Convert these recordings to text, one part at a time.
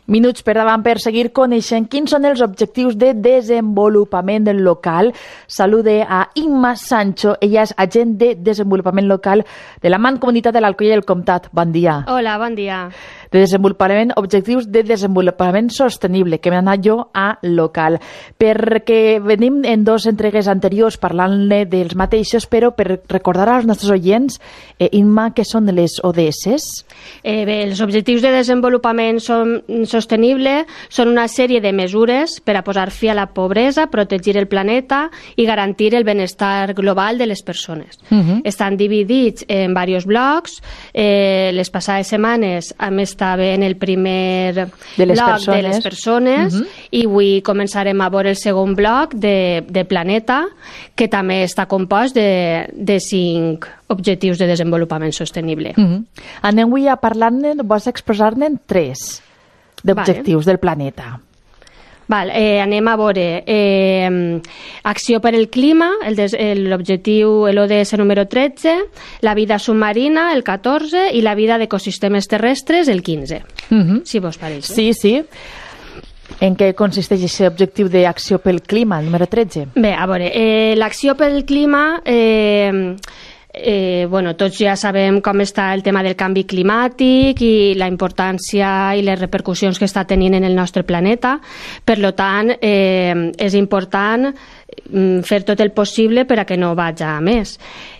Minuts per davant per seguir coneixent quins són els objectius de desenvolupament local. Salude a Imma Sancho, ella és agent de desenvolupament local de la Mancomunitat de l'Alcoià i el Comtat. Bon dia. Hola, bon dia. De desenvolupament, objectius de desenvolupament sostenible, que m'he anat jo a local. Perquè venim en dos entregues anteriors parlant-ne dels mateixos, però per recordar als nostres oients, Imma, què són les ODS? Bé, els objectius de desenvolupament sostenible són una sèrie de mesures per a posar fi a la pobresa, protegir el planeta i garantir el benestar global de les persones. Estan dividits en diversos blocs. Les passades setmanes hem estat en el primer bloc de les persones i avui començarem a veure el segon bloc de planeta, que també està compost de 5 objectius de desenvolupament sostenible. Anem avui a parlar-ne, vols expressar-ne 3 d'objectius del planeta. Anem a veure acció per el clima, l'objectiu, l'ODS número 13, la vida submarina, el 14, i la vida d'ecosistemes terrestres, el 15. Si vos pareix. Sí. En què consisteix aquest objectiu d'acció pel clima, el número 13? Bé, a veure, l'acció pel clima... tots ja sabem com està el tema del canvi climàtic i la importància i les repercussions que està tenint en el nostre planeta. Per tant, és important fer tot el possible per a que no vagi a més.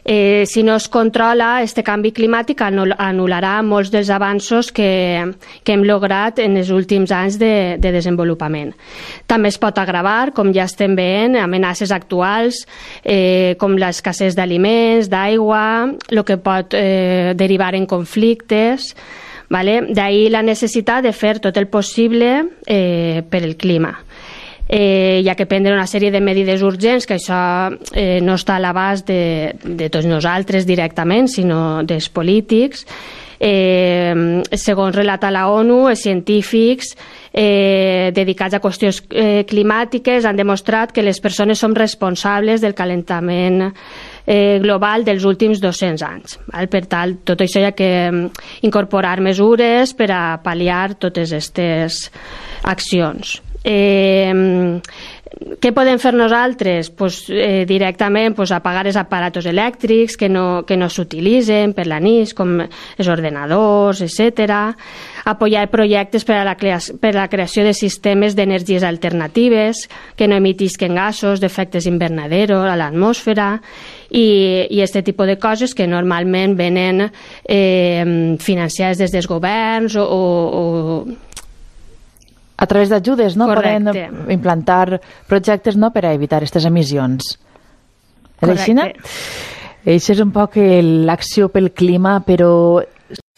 Si no es controla, este canvi climàtic anul·larà molts dels avanços que hem lograt en els últims anys de desenvolupament. També es pot agravar, com ja estem veient, amenaces actuals, com l'escassez d'aliments, d'aigua, el que pot derivar en conflictes. D'ahir la necessitat de fer tot el possible per el clima. Hi ha que prendre una sèrie de mesures urgents, que això no està a l'abast de tots nosaltres directament, sinó dels polítics. Segons relata la ONU, els científics dedicats a qüestions climàtiques han demostrat que les persones som responsables del calentament global dels últims 200 anys. Per tant, tot això hi ha que incorporar mesures per a pal·liar totes aquestes accions. Què podem fer nosaltres? Directament apagar els aparatos elèctrics que no s'utilitzen per la nit, com els ordenadors, etc. Apoyar projectes per a la creació de sistemes d'energies alternatives que no emitisquen gasos d'efectes invernadero a l'atmosfera i aquest tipus de coses que normalment venen financiades des dels governs o a través d'ajudes, no? Correcte. Poden implantar projectes, no?, per a evitar aquestes emissions. Correcte. Això és un poc l'acció pel clima, però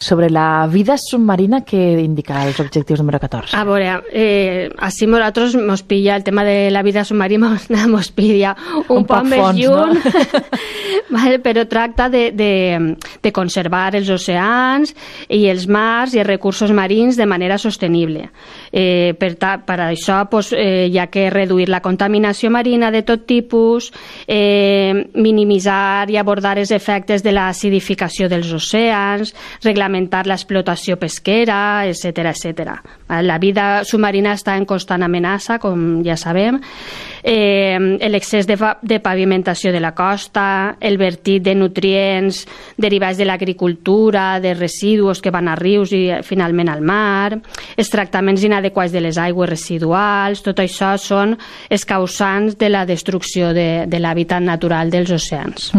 sobre la vida submarina, què indica els objectius número 14? A veure, així nosaltres mos pilla el tema de la vida submarina, mos pilla un poc més fons, lluny, no? però tracta de conservar els oceans i els mars i els recursos marins de manera sostenible. Per això hi ha que reduir la contaminació marina de tot tipus, minimitzar i abordar els efectes de l'acidificació dels oceans, reglamentar l'explotació pesquera, etc. La vida submarina està en constant amenaça, com ja sabem. L'excés de pavimentació de la costa, el vertit de nutrients derivats de l'agricultura, de residus que van a rius i finalment al mar, els tractaments inadequats de les aigües residuals, tot això són els causants de la destrucció de l'hàbitat natural dels oceans.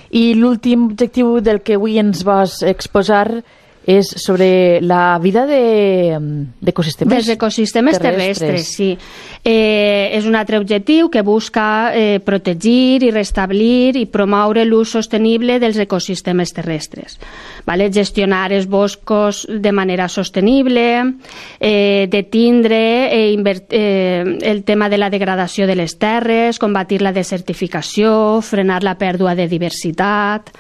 I l'últim objectiu del que avui ens vas exposar és sobre la vida d'ecosistemes dels ecosistemes terrestres, sí. És un altre objectiu que busca protegir i restablir i promoure l'ús sostenible dels ecosistemes terrestres. Gestionar els boscos de manera sostenible, detindre el tema de la degradació de les terres, combatir la desertificació, frenar la pèrdua de diversitat.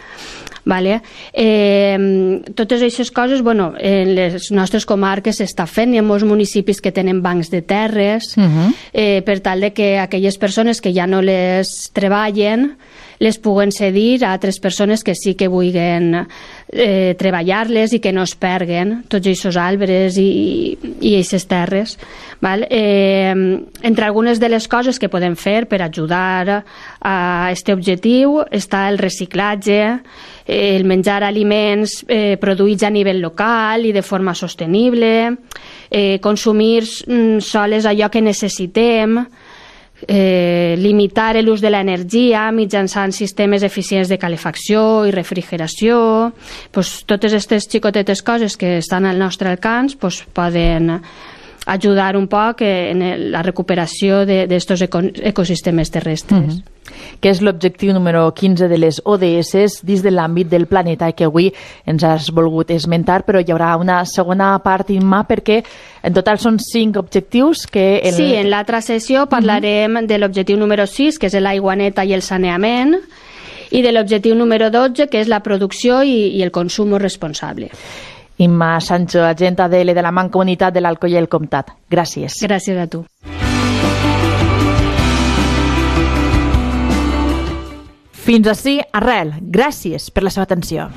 Totes aquestes coses, en les nostres comarques s'està fent, hi ha molts municipis que tenen bancs de terres, per tal de que aquelles persones que ja no les treballen les puguen cedir a altres persones que sí que vulguin treballar-les i que no es perguen tots aquests arbres i aquestes terres, val? Entre algunes de les coses que podem fer per ajudar a aquest objectiu està el reciclatge, el menjar aliments produïts a nivell local i de forma sostenible, consumir sols allò que necessitem, limitar l'ús de l'energia mitjançant sistemes eficients de calefacció i refrigeració. Totes aquestes xicotetes coses que estan al nostre alcance poden ajudar un poc en la recuperació d'estos ecosistemes terrestres. Que és l'objectiu número 15 de les ODS dins de l'àmbit del planeta que avui ens has volgut esmentar, però hi haurà una segona part, Imma, perquè en total són 5 objectius que... Sí, en l'altra sessió parlarem de l'objectiu número 6, que és l'aigua neta i el saneament, i de l'objectiu número 12, que és la producció i el consum responsable. Imma Sancho, agent ADL de la Mancomunitat de l'Alcoi i el Comtat. Gràcies. Gràcies a tu. Fins ací, Arrel. Gràcies per la seva atenció.